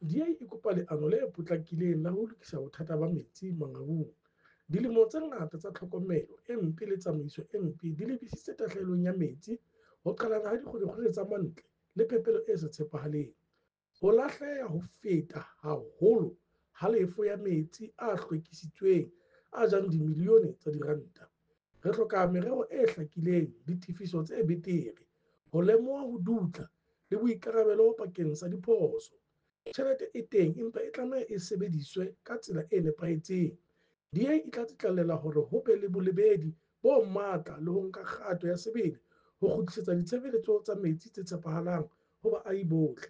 DA e kopa leano le potlakileng la ho lokisa bothata ba metsi Mangaung. Dilemo tse ngata tsa tlhokomelo e mpe le tsamaiso e mpe di lebisitse tahlehelo ya metsi, ho qhalana ha dikgwerekgwere tsa mantle le phepelo e sa tshepahaleng. Ho lahleha ho feta haholo halefo ya metsi a hlwekisitsweng a jang dimilione tsa diranta. Re hloka merero e hlakileng, ditefiso tse betere, ho lemoha ho dutla le boikarabelo bakeng sa diphoso. Tjhelete e teng empa e tlameha e sebediswe ka tsela e nepahetseng. DA e tla tsitlallela hore ho be le bolebedi bo matla le ho nka kgato ya sebele ho kgutlisetsa ditshebeletso tsa metsi tse tshepahalang ho baahi bohle.